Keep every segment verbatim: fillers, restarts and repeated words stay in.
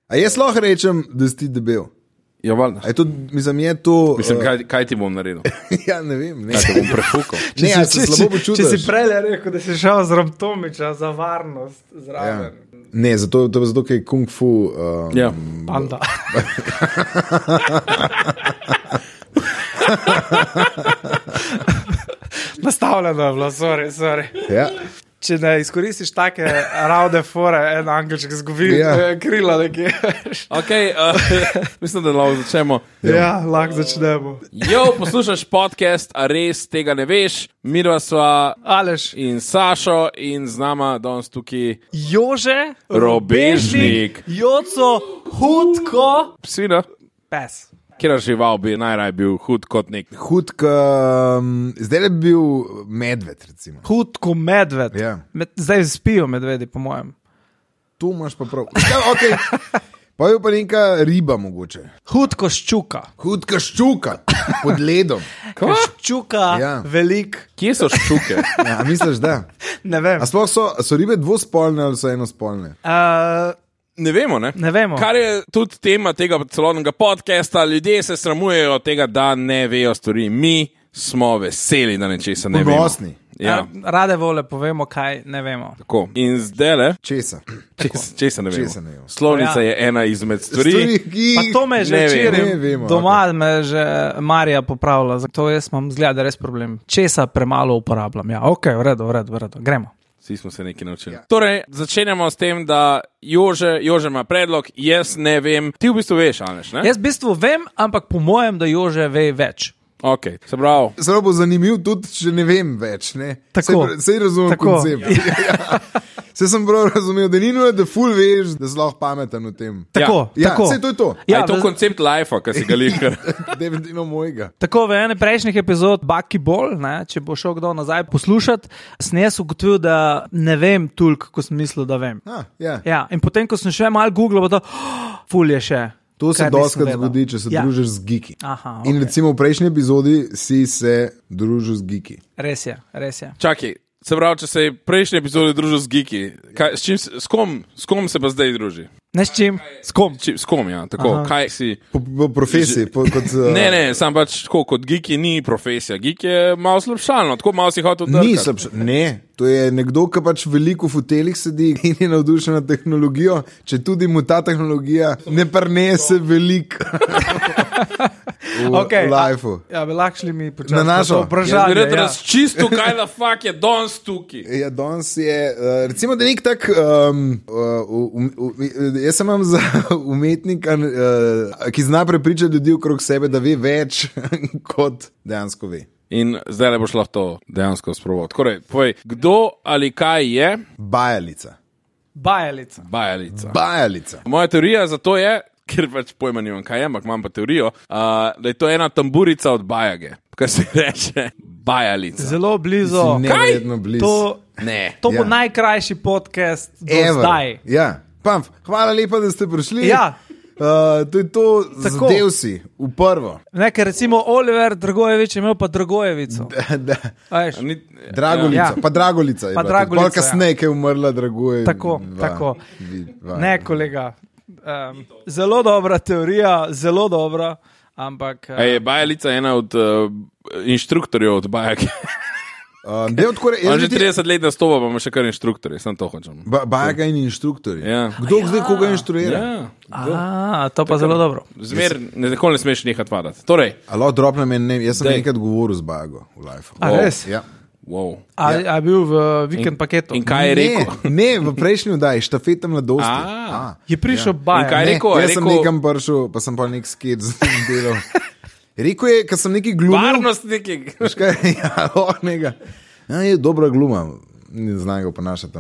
A jaz lahko rečem, da si ti debel? Ja, valjda. A je to, mislim, je to... Mislim, uh, kaj, kaj ti bom naredil? ja, ne vem. Ne. Kaj te bom prefukal? Ne, ja, se slabo počutiš. Če si prej rekel, da si šel z Ramtomiča za varnost zraven. Ja. Ne, zato, to je zato, ker je kung fu... Um, ja. Panda. Nastavljeno je bilo, sorry, sorry. Ja. Če ne izkoristiš take ravne fore, en angelček zgubi Ja. krila nekje. Ok, uh, mislim, da lahko začnemo. Ja, lahko začnemo. Jo, poslušaš podcast, a res tega ne veš. Midva sva Aleš, in Sašo in z nama danes tukaj Jože, Robežnik. Joco, Hudko, Svina. pes. Kjer žival bi najraj bil hud kot nek. Hud, ka, um, zdaj je bil medved, recimo. Hudko medved. Ja. Med, zdaj spijo medvedi, po mojem. Tu imaš pa prav. Ja, okay. Pa je pa neka riba mogoče. Hudko ščuka. Hudka ščuka pod ledom. Ščuka, Ja. velik. Kje so ščuke? Ja, a misliš, da? Ne vem. A sploh so, so ribe dvospolne ali so enospolne? Uh, Ne vemo, ne? ne vemo. Kar je tudi tema tega celotnega podcasta, ljudje se sramujejo tega, da ne vejo stvari. Mi smo veseli, da nečesa ne vemo. Ponosni. Ja, Uh, rade vole povemo, kaj ne vemo. tako. In zdaj le, Česa? česa, česa ne vemo. Česa ne vemo. Slovnica Ja. je ena izmed stvari. Stvari, ki... Pa to me že Ne vem, včeraj ne vemo, doma me že Marija popravila, zato jaz imam zgleda res problem. Česa premalo uporabljam. Ja, ok, v redu, v redu, v redu. Gremo. Vsi smo se nekaj naučili. Ja. Torej, začenjamo s tem, da Jože, Jože ima predlog, jaz ne vem. Ti v bistvu veš, Aleš, ne? Jaz v bistvu vem, ampak po mojem, da Jože ve več. Ok, se pravi. Zelo bo zanimiv tudi, če ne vem več. Ne? Tako. Sej, sej razumem Tako. koncept. Ja. Sej sem prav razumel, da ni nujno, da ful veš, da si lahko pameten v tem. Tako, Ja, tako. sej to je to. Ja, Ja, je to v- koncept life, ki si ga lihkar. Definitivno mojega. Tako v ene prejšnjih epizod Bucky Ball, ne, če bo šel kdo nazaj poslušati, sem jaz ugotovil, da ne vem toliko, kot sem mislil, da vem. Ah, ja. Ja, in potem, ko sem še malo googlal, bo to, oh, ful je še. To se Kar nisem doskrat vedel. zgodi, če se Ja. družiš z geeki. Aha, In okay. recimo v prejšnji epizodi si se družil z geeki. Res je, res je. Čakaj, se pravi, če se je prejšnji epizodi družil z geeki, kaj, s, čim, s, kom, s kom se pa zdaj druži? Ne s čim? S kom? Či, s kom, ja, tako, Aha. kaj si... Po, po profesiji. Po, kot, uh, Ne, ne, sam pač tako, kot geeki ni profesija. Geek je malo slabšalno, tako malo si hotel drkati. Ni slabše. Ne, to je nekdo, ki pač veliko v hotelih sedi in je navdušen nad tehnologijo, če tudi mu ta tehnologija ne prinese veliko v Okay, lifeu. Ja, bi lahko šli mi počasi Na našo. to Jaz bi vprašanje. rad Ja. razčistil, kaj da fakt je danes tukaj. Ja, danes je, uh, recimo, da nek tak, um, uh, um, um, jaz sem imam za umetnika, uh, ki zna prepričati ljudi okrog sebe, da ve več, kot dejansko ve. In zdaj le boš lahko to dejansko sproval. Torej, povej, kdo ali kaj je Bajalica. Bajalica. bajalica? Bajalica. Moja teorija za to je, ker pač pojma nimam, kaj je, ampak imam pa teorijo, uh, da je to ena tamburica od bajage, kaj se reče bajalica. Zelo blizu. Si neverjetno blizu. To, Ne. to bo Ja. najkrajši podcast do Ever. zdaj. Ja, Pamf, hvala lepa, da ste prišli. Ja. Uh, to je to, Tako. zadev si v prvo. Nekaj recimo Oliver Dragojevič je imel pa Dragojevico. Da, da. A veš? Ni, Dragolica, Ja. ja. pa Dragolica je Pa bila tudi. Dragolica, Pol kasneje, ki je umrla, Dragoje. Tako, tako. Ne, kolega. Um, zelo dobra teorija, zelo dobra, ampak. Uh, ja. Je bajalica ena od uh, inštruktorjev od bajake. Um, de, odkore, On že trideset let nastopa, pa ima še kar inštruktorje, sem to hočem. ba, Bajaga in inštruktori. Ja. Kdo zdaj koga inštruira? Ja. A, to pa zelo dobro. Zmer, ne, nikoli ne smeš nehati vadati. Torej, Alo, drop nam je, ne, jaz sem Dej. enkrat govoril z Bajago v life. A res? Ja. wow. A, a je bil v vikend paketu? In kaj je rekel? Ne, ne, v prejšnji vdaji, štafeta mladosti. A. Je prišel ja. In Bajer. kaj je Ne, rekel? Je jaz sem rekel- nekam prišel, pa sem pa nek skate z njim delal. Rekel je, ker sem neki glumil. Varnostniki. Veš kaj, ja, oh, nega. Ja, je dobra gluma. Ne znam ga ponašati.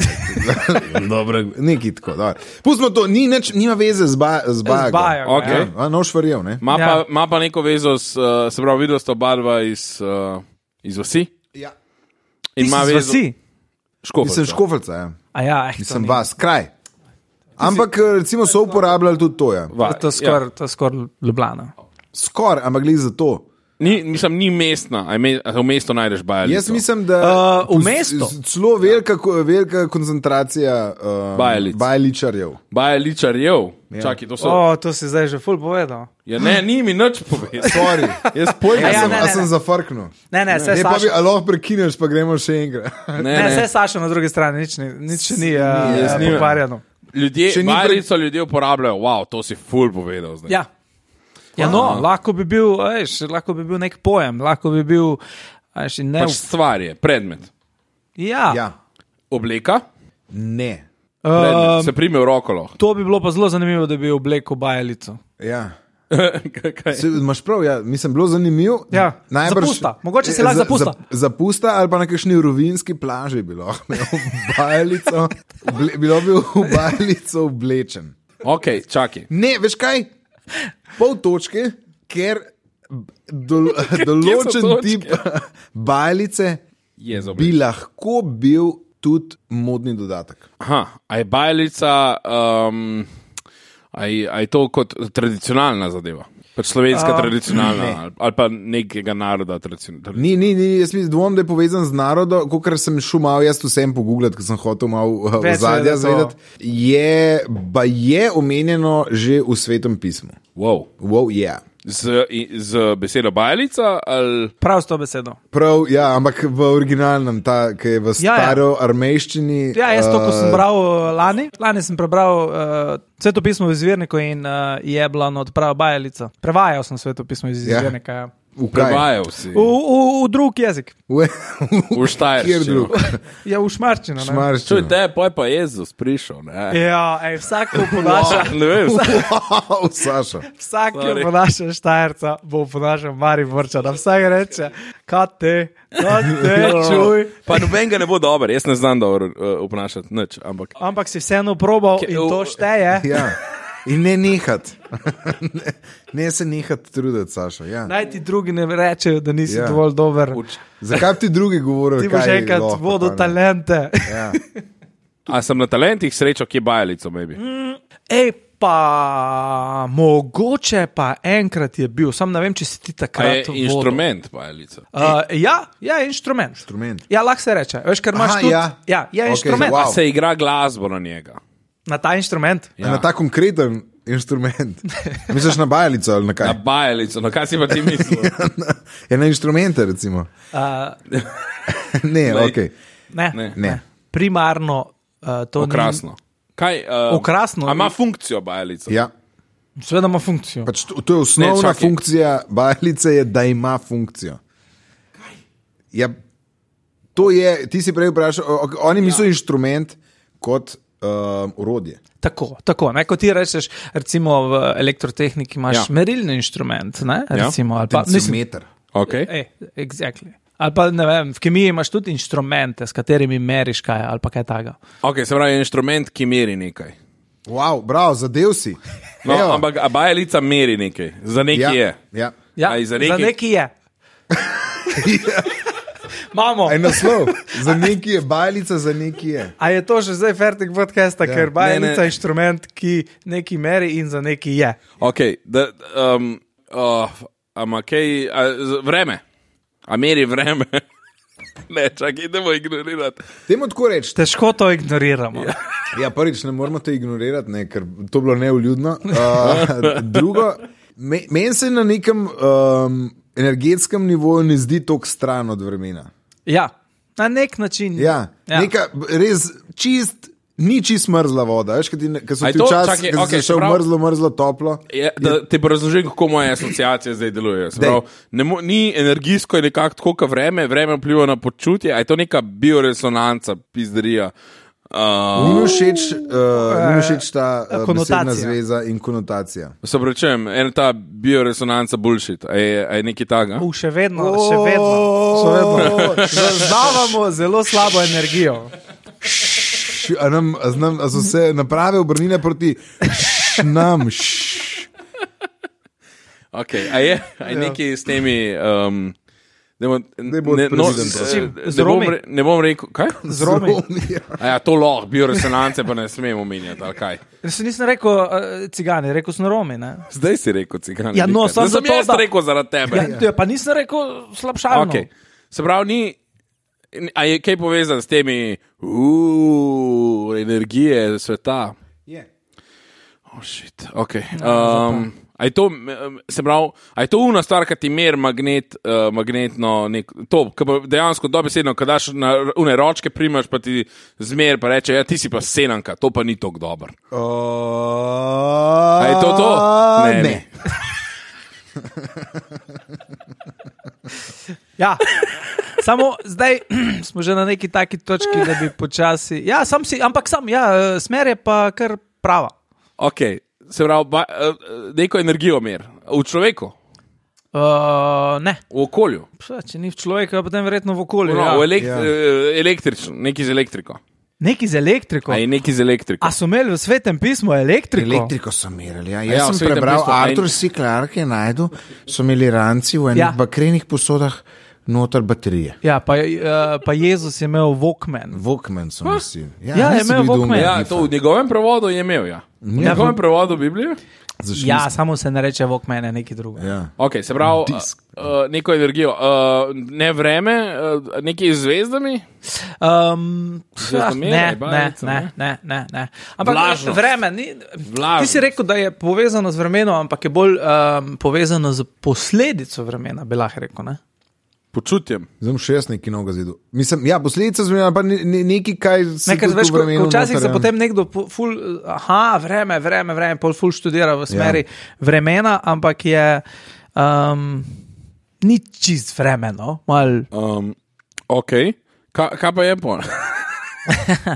Dobro, neki tako. Dobro. Pustimo to, ni nič, nima veze z, ba, z Bajago. Bajago, Okej. Ja, a, nož verjel, ne? Ma, Ja. pa, ma pa neko vezo, s, uh, se pravi, videl sta oba dva iz, uh, iz vasi. Ja. In ima vezo. Vsi. Škofeljca. Mislim, škofelca, ja. A ja, eh, Mislim, vas, kraj. Ampak recimo so uporabljali tudi to, ja. Va, To je skoraj skor Ljubljana. Skoraj, ampak glih za to. Ni, mislim, ni mestna, a me, a v mestu najdeš bajalico. Jaz mislim, da Uh, v mestu? Celo velika, velika koncentracija um, Bajalic. bajaličarjev. Bajaličarjev. Ja. Čakaj, to so. O, to si zdaj že ful povedal. Ja, ne, ni mi nič povedal. Sorry. Jaz pojma Ja, Ja, ja, sem, ne, a ne, sem ne. zafrknil. Ne, ne, vse Ne, pa bi, Saša. a lahko prekineš, pa gremo še enkrat. Ne, Ne, ne. vse Saša na drugi strani, nič, ni, nič še ni jaz uh, nimam. pokvarjeno. Ljudje, Če ni pre- bajalico ljudje uporabljajo, wow, to si ful povedal zdaj. Ja. Ja, no, lahko bi bil, veš, lahko bi bil nek pojem, lahko bi bil, veš, in ne. Pač stvar je, predmet. Ja. Ja, Obleka, ne. predmet. Um, Se prime v roko lahko. to bi bilo pa zelo zanimivo, da bi oblekel bajalico. Ja. Kaj? Se, imaš prav, ja. Mislim, bilo zanimivo. Ja, zapusta. Mogoče si lahko zapusta. Za, zapusta ali pa na kakšni rovinski plaži bi lahko imel bajalico, oble, bilo bi v bajalico oblečen. Ok, čakaj. Ne, veš kaj? Pol točke, ker dol, določen točke? tip bajalice Je za bi oblek. lahko bil tudi modni dodatek. Aha, a je bajalica, um, a je, a je to kot tradicionalna zadeva? Pač slovenska A, tradicionalna ali, ali pa nekega naroda tradicionalna. Ni, ni, ni, jaz mislim, dvom, da je povezan z narodom, kot sem šel malo jaz vsem pogooglati, ker sem hotel malo uh, Več ozadja vedeti, zvedeti. Je, ba je omenjeno že v Svetem pismu. Wow. Wow, yeah. Z, i- z besedo bajalica ali. Prav s to besedo. Prav, ja, ampak v originalnem, ta, ki je v Ja, ja. staro-armejščini. Ja, jaz to, ko sem uh, bral uh, lani, lani sem prebral uh, svetopismo v izvirniku in uh, je bila odprava bajalica. Prevajal sem svetopismo iz Ja. izvirnika. Ja. v kaj? Prevajal si. V, v, v drug jezik. V, V Štajerščino. Kjer drug? Ja, v šmarčino. ne. Čuj, Šmarščino. te, poj pa Jezus prišel, ne? Ja, ej, vsak, ki oponaša, Ne vem. Wow, Saša. vsak, ki Sorry. oponaša Štajerca, bo oponašal Mariborčana. Vsak reče, kaj te, kaj te, čuj. Pa noben ga ne bo dober, jaz ne znam dobro uh, obnašati nič, ampak. Ampak si vseeno probal Ke- in to šteje. Ja. In ne nehat. ne, ne se nehat truditi, Saša. Ja. Naj ti drugi ne rečejo, da nisi Ja. ja. dovolj dober. Uč. Zakaj bi ti drugi govorili? Ti boš kaj enkrat lahko, vodil pa ne? talente. Ja. A sem na talentih srečal, kje bajalico, maybe. Ej, pa mogoče pa enkrat je bil, sam ne vem, če si ti A takrat je inštrument bajalica. Uh, ja, ja, inštrument. Inštrument. Ja, lahko se reče. Veš, ker imaš Aha, tudi. ja. ja, je Okej, inštrument. wow. A se igra glasbo na njega. Na ta inštrument. Ja. Na ta konkreten inštrument. Misliš na bajalico ali na kaj? Na bajalico, no kaj si pa ti mislil? Je na inštrumente, recimo. Uh, ne, Glej. ok. ne, Ne. Ne. Primarno uh, to Okrasno. Kaj, uh, Okrasno. A ima funkcijo bajalica? Ja. ni. Seveda ima funkcijo. Pač to, to je osnovna Ne, čakaj. funkcija bajalice, je, da ima funkcijo. Ja, to je, ti si prej vprašal, o- o- oni mislijo ja. inštrument kot um, orodje. Tako, tako. Ne, kot ti rečeš, recimo v elektrotehniki imaš Ja. ja. merilni inštrument. Ne, recimo, ali pa, mislim, Tensiometer. Okay. ej, exactly. Ali pa ne vem, v kemiji imaš tudi inštrumente, s katerimi meriš kaj ali pa kaj takega. Ok, se pravi, inštrument, ki meri nekaj. Wow, bravo, zadev si. No, Evo. ampak a bajalica meri nekaj, za nekaj ja, je. ja. Ja, Aj, za za neki- neki je. Mamo. En naslov. Za neki je bajalica, za neki je. A je to že zdaj fertik podcasta, Ja. ja. ker bajalica Ne, ne. je inštrument, ki neki meri in za neki je. Ok, da, um, uh, ama kaj, a, z- vreme. A meri vreme. Ne, čakaj, idemo ignorirati. Temu tako reči. Težko to ignoriramo. Ja. Ja, prvič ne moramo to ignorirati, ne, ker to bilo neuljudno. Uh, drugo, me, meni se na nekem um, energetskem nivoju ne zdi tako stran od vremena. ja, na nek način. Ja, ja. Neka res čist, ni čist mrzla voda. Veš, kad, ti, ne- kad so A je ti to- včasih, čakaj, kad okej, si šel se pravi- mrzlo, mrzlo, toplo. Je, da ti bo razložil, kako moje asociacije zdaj delujejo. Se Dej. pravi, ne mo- Ni energijsko, je nekako tako, kot vreme, vreme vpliva na počutje, a je to neka bioresonanca, pizderija. Ni mi Uh, všeč, uh, ni mi všeč ta uh, konotacija. besedna zveza in konotacija. se pravičujem, ena ta bioresonanca bullshit, a je, a je nekaj takega? U, še vedno, še vedno. Še vedno. Zaznavamo zelo slabo energijo. Š, a, nam, a, znam, a so se naprave obrnile proti nam. Š. Okay, a je, a je nekaj s temi um, Demo, Ne bo ne, no, previden, prosim. ne, Z ne, bom, Romi. re- ne bom rekel, kaj? Z Romi. A ja, to lahko, bioresonance pa ne smemo omenjati, ali kaj. Jaz nisem rekel uh, cigani, rekel sem Romi. Ne? Zdaj si rekel cigani. Ja, no, Zdaj samo sem zato, jaz da- rekel zaradi tebe. Ja, ja, pa nisem rekel slabšalno. Okay. Se pravi, ni, a je kaj povezan s temi uh, energije sveta? Je. Oh, shit, ok. Um, a je to, se pravi, a je to una stvar, ki ti mer magnet, uh, magnetno, nek, to, ki pa dejansko dobesedno, ko daš na une ročke, primaš pa ti zmer, pa reče, ja, ti si pa senanka, to pa ni tako dober. Uh, A je to to? Ne, Ne. ne. Ja, samo zdaj smo že na neki taki točki, da bi počasi. Ja, sam si, ampak sam, ja, smer je pa kar prava. Ok, se pravi, ba, uh, neko energijo mer. V človeku, Uh, ne, v okolju, Psa, če ni v človeku, potem verjetno v okolju. no, Ja. v elekt, Ja. uh, električno, neki z elektriko. Neki z elektriko. A je neki z elektriko. A so imeli v svetem pismu elektriko? Elektriko so merili. Ja. Jaz Ja, ja, v sem Svetem prebral, pismu, a Arthur in- C. Clarke je najdel, so imeli ranci v enih Ja. ja. bakrenih posodah noter baterije. Ja, pa, uh, pa Jezus je imel Walkman. Walkman so nosili. Ja, je nisi imel bil Walkman. doma, Ja, Gifa. to v njegovem prevodu je imel, ja. V njegovem prevodu Biblije? Zašli Ja, smo. samo se ne reče Walkman, je nekaj drugega. Ja. Ok, se pravi, uh, uh, neko energijo, uh, ne vreme, uh, neki z zvezdami. Um, Zvezdomere, ne, ne, bajalica, ne, ne? ne, ne, ne. Ampak Vlažnost. vreme, ni, Vlažnost. ti si rekel, da je povezano z vremenom, ampak je bolj um, povezano z posledico vremena, bi lahko rekel. Ne? Počutjem. Zdaj bom še jaz nekaj novega zvedel. Mislim, ja, posledica zmena, pa ne- ne- nekaj, kaj se Nekaj, tudi veš, v ko, vremenu ko včasih noter, se ja. potem nekdo, pu- ful, aha, vreme, vreme, vreme, pol ful študira v smeri ja. vremena, ampak je um, ni čist vremeno, mal. Um, ok, Ka, kaj pa je pol?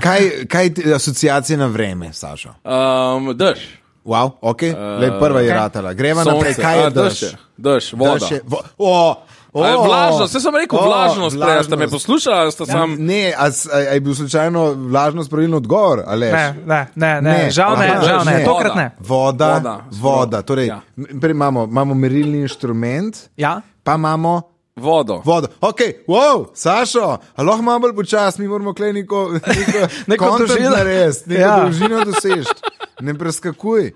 Kaj, kaj ti asociacije na vreme, Sašo? Um, dež. Wow, ok, uh, Lej, prva je kaj? ratala. Greva naprej, kaj je A, dež? je. Dež, voda. Dež je, vo, o, o, A je vlažnost, jaz sem rekel o, vlažnost, prej, a ste me vlažnost. poslušali, ali ste sam... Ne, a, s- a, a je bil slučajno vlažnost pravilno odgovor? Aleš? Ne, ne, ne, ne, Ne, žal ne, aha, žal ne, ne. tokrat ne. Voda, Voda, voda. Torej, ja. ja. prej imamo, imamo merilni inštrument, Ja? pa imamo Vodo. vodo. Ok, wow, Sašo, a lahko malo bolj počas, mi moramo klej neko, neko, Neko content dolžino. narediti, neko Ja. ja. dolžino dosežeti. Ne preskakuj.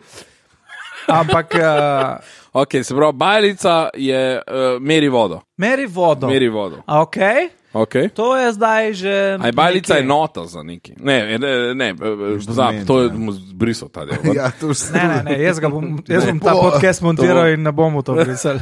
Ampak uh, Ok, se pravi, bajalica je uh, meri vodo. meri vodo. Meri vodo. A, okay. Okay. To je zdaj že. A je bajalica nekje. enota za neki? Ne, ne, ne, pozab, to je mu zbrisal ta del. Ja, to vse. Ne, ne, ne, jaz, ga bom, jaz Ne, bom ta bo- podcast to montiral bo- in ne bomo to brisali.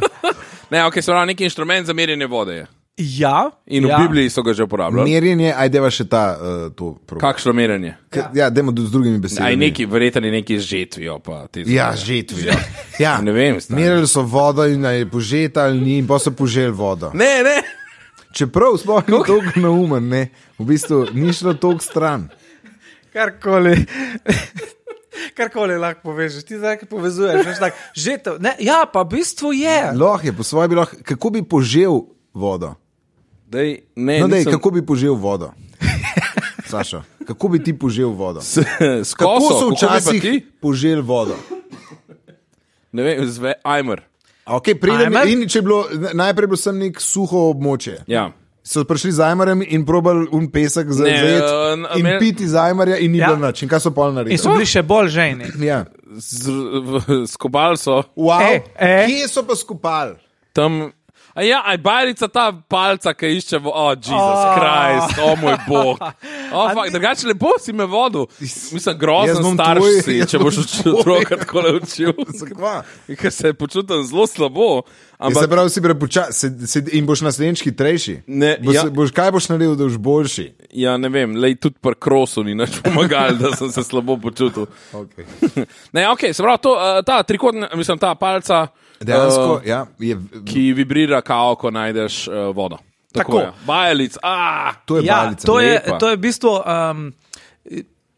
Ne, ok, se pravi, neki inštrument za merjenje vode je. Ja, In v ja. Bibliji so ga že uporabljali. Merjenje, ajdeva še ta, uh, to probo. Kakšno merjenje? K- Ja, dajmo z drugimi Aj besedami. neki, verjetno je neki z žetvijo. Pa te Ja, zadeve. žetvijo. Ja. Ne vem, stari. Merili so vodo in a je požeta ali ni, in pa so poželi vodo. Ne, ne. Čeprav sploh ni toliko naumen, ne. V bistvu ni šlo toliko stran. Karkoli. Karkoli lahko poveš, ti zdaj povezuješ. Veš, tak, že to, ne, ja, pa v bistvu je. Lahko je, po svoje bi lahko, kako bi požel vodo? Dej, ne, No, dej, nisem- kako bi požel vodo? Saša, kako bi ti požel vodo? S, s Kako koso, so kako bi pa včasih ti? poželi vodo? Ne vem, zve, ajmer. Okay, pridem, Ajmer? in če je bilo, najprej bilo sem nek suho območje. Ja. So prišli z ajmarjem in probali un pesek za Ne, zajet uh, in Amer- piti z ajmarja in ni Ja. bilo nič. In kaj so pol In naredili? so bili še bolj žejni. Ja. Z, v, skobal so Wow. E, e. Kje so pa skupali? tam. A ja, aj bajalica ta palca, ki išče vo... O, oh, Jezus Oh. Krist, o oh, moj bog. Oh, fuck, drugače lepo si me vodil. Mislim, Jaz grozen bom starš tvoj- si, jaz če bom boš učil tvoj. otroka tako naučil. Zakva? Ker se počutim zelo slabo. Ja, se Ampak pravi, si prepočasi in boš naslednjič hitrejši. Ne, boš, ja. boš, kaj boš naredil, da boš boljši? ja, ne vem, lej tudi pri krosu ni nič pomagal, da sem se slabo počutil. Okay. Ne, ok, se pravi, to, uh, ta trikotna, mislim, ta palca, Dejansko, uh, ja, je, ki vibrira, kao, ko najdeš uh, vodo. Tako. je. Bajalic, ah! to je Ja, balica. to je, lepa. to je v bistvu. Um,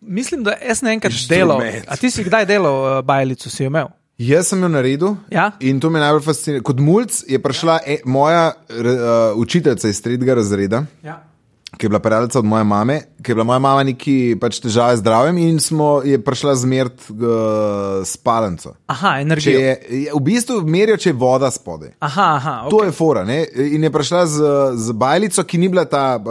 mislim, da jaz ne enkrat delal. Inštrument. A ti si kdaj delal uh, bajalico, si jo imel? Jaz sem jo naredil Ja? in to me najbolj fascinira. Kot mulj je prišla e, moja uh, učiteljica iz tretjega razreda, Ja. ki je bila prijateljica od moje mame, ki je bila moja mama neki pač težave z zdravjem in smo, je prišla zmert uh, spalnico. Aha, energijo. Je, je, v bistvu merijo, če je voda spodaj. Aha, aha. Okay. To je fora. Ne? In je prišla z, z bajlico, ki ni bila ta uh,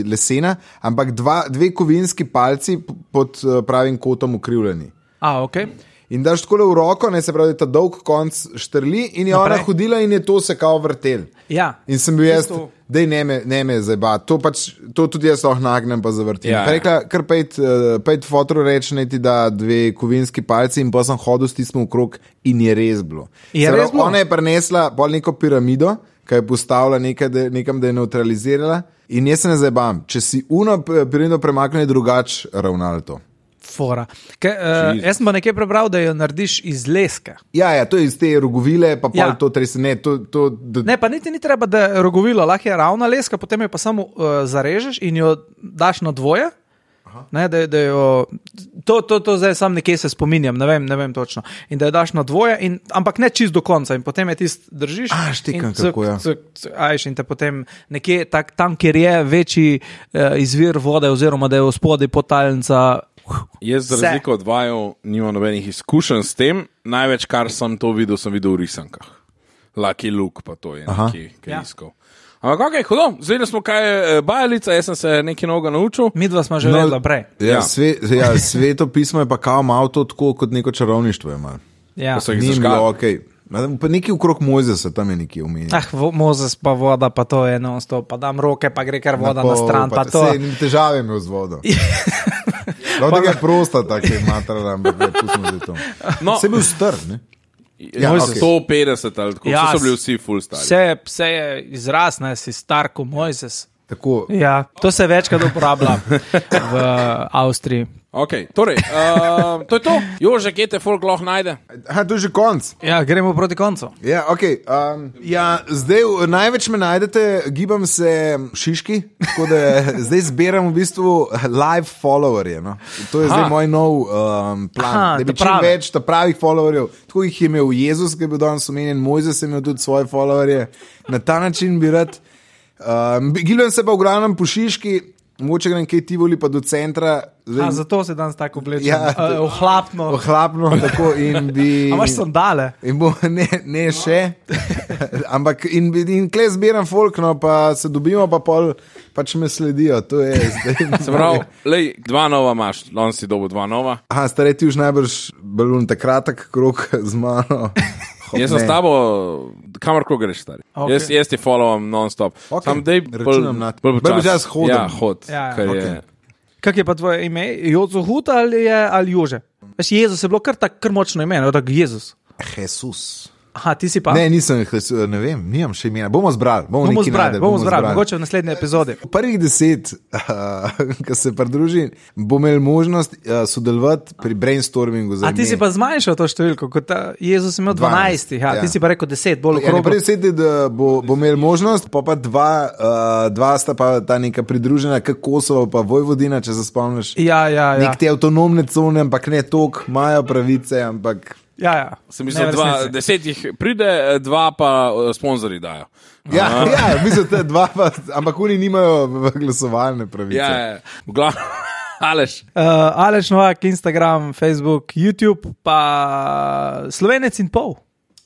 lesena, ampak dva, dve kovinski palci pod uh, pravim kotom ukrivljeni. A, ok. In daš tako v roko, ne se pravi, ta dolg konc štrli in je Naprej. ona hodila in je to se kao vrtel. Ja. In sem bil jaz, Isto. dej ne me, ne me zajba, to, pač, to tudi jaz lahko nagnem pa zavrtim. Ja. Pa rekla, kar pejt, uh, pejt fotro reči, ne ti da dve kovinski palci in pa sem hodil s tistim okrog in je res bilo. Je Se res pravi, bilo? ona je prinesla pol neko piramido, ki je postavila nekaj, da, nekam, da je neutralizirala in jaz se ne zajbam, če si uno piramido premaknil, je drugač ravnalo to. Fora. Ke, uh, jaz sem pa nekaj prebral, da jo narediš iz leske. Ja, ja, to je iz te rogovile, pa pol Ja. to trese, ne, to, to, to Ne, pa niti ni treba, da je rogovilo, lahko je ravna leska, potem jo pa samo uh, zarežeš in jo daš na dvoje. Ne, da, da jo, to, to, to zdaj sam nekje se spominjam, ne vem, ne vem točno. In da jo daš na dvoje, in, ampak ne čist do konca. In potem je tist držiš. A, štekam, in cuk, kako, ja. cuk, cuk, ajš, in te potem nekje tak, tam, kjer je večji uh, izvir vode, oziroma da je v spodaj potalnica. Jaz, za Vse. razliko od vaju, nimam nobenih izkušenj s tem. Največ, kar sem to videl, sem videl v risankah. Lucky Luke, pa to je Aha. neki, ki je Ja. iskal. Ampak, ok, hudo, zdaj smo kaj je bajalica, jaz sem se nekaj novega naučil. Mi dva smo že No, vedela prej. Ja, Ja. sve, ja, sveto pismo je pa kao malo to tako kot neko čarovništvo. Je malo. Ja. Ko so jih Ni zažgali. bilo okej. Okay. Pa nekaj okrog Mojzesa tam je nekaj omenjeno. Ah, vo- Mozes pa voda, pa to je non-stop, pa dam roke, pa gre kar voda na, pol, stran, pa, pa to. Sej, težave imel z vodo. Prav tega je prosta, tako je matrala, ampak ne, pustimo zdaj to. No. Se je bil star, ne? Ja, Mojzes. sto petdeset ali tako, Ja, ja, so bili vsi full stari. Vse, vse je izraz, ne si star kot Mojzes. Tako, Ja, to se večkrat uporablja v Avstriji. Okay, torej, uh, to je to. Jože, kje te folk lahko najde? aha, to je že konc. Ja, gremo proti koncu. Ja, okay, um, ja, zdaj v- največ me najdete, gibam se Šiški, tako da zdaj zbiram v bistvu live followerje. No? To je Aha. zdaj moj nov um, plan, Aha, da bi ta čim prave. več ta pravih followerjev. Tako jih je imel Jezus, ki je bil danes omenjen, Mojzes je imel tudi svoje followerje. Na ta način bi rad. Um, Gibljem se pa v glavnem po Šiški, mogoče grem kaj Tivoli pa do centra. A, zato se danes tako oblečem. Ja, Ja, ohlapno. Ohlapno, tako in bi. A imaš sandale? In bo, ne, ne še, ampak in, in kle zbiram folk, no pa se dobimo, pa pol pač me sledijo. To je zdaj. Se pravi, lej, dva nova imaš, on si dobil dva nova. Aha, stare ti už najbrž balun, ta kratek krok z mano. Ho, Jaz sem ne. s tabo, kamorkoli greš, stari. Ok. Okay. Jaz, jaz ti followam non-stop. Ok, Sam dej računam na to. bolj Bolj počasi. počasi hodim. Ja, hod. Ja, ja. Ker Ok. je, Kak je pa tvoje ime? Jozo Hut ali, je, ali Jože? Veš, Jezus je bilo kar tako kar močno ime, no, tako Jezus. Jesus. Aha, ti si pa? Ne, nisem, Jesus, ne vem, nimam še imena. Bomo zbrali, bomo, bomo nekaj zbrali, najdeli, bomo zbrali, mogoče v naslednji epizodi. Prvih deset, uh, ki se pridruži, bo imel možnost uh, sodelovati pri brainstormingu. A ti si pa zmanjšal to številko, kot ta Jezus je imel dvanajst, ja, ja. ti si pa rekel deset, bolj Ja, okrog. prvi deset je, da bo, bo imel možnost, pa, pa dva, uh, dva sta pa ta neka pridružena, kot Kosovo, pa Vojvodina, če se spomniš. Ja, ja, ja. Nek te avtonomne cone, ampak ne tok, imajo pravice, ampak. ja, ja. sem mislil, Ne, v dva, resnici. deset jih pride, dva pa uh, sponzorji dajo. Ja, ja mislim, da dva, pa, ampak oni nimajo v- glasovalne pravice. Ja, ja. v glavnem, Aleš. Uh, Aleš Novak, Instagram, Facebook, YouTube, pa Slovenec in pol.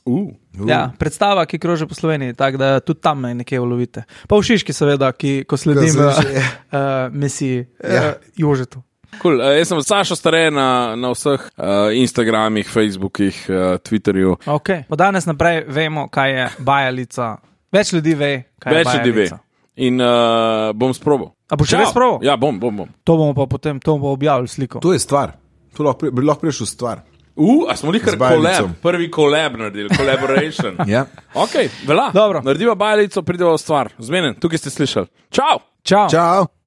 Uh. Uh. Ja, predstava, ki kroži po Sloveniji, tako da tudi tam me nekje ulovite. Pa v Šiški, seveda, ki, ko sledim Ko uh, se že- uh, misiji Ja. uh, Jožetu. Cool. Uh, jaz sem Sašo Stare na, na vseh uh, Instagramih, Facebookih, uh, Twitterju. Okay. Po danes naprej vemo, kaj je bajalica. Več ljudi ve, kaj Več je ljudi ve. bajalica. In uh, bom sprobal. A boš še Čau. res probal? Ja, bom, bom. bom. To bomo pa potem, to bomo objavili sliko. To je stvar. To lahko, pri- bi lahko prišel stvar. Uh, a smo nekaj Z bajalico. kolab, prvi kolab naredili, collaboration. Ja. Ok, vela. Dobro. Narediva bajalico, prideva v stvar. Zmenen, tukaj ste slišali. Čau! Čau. Čau.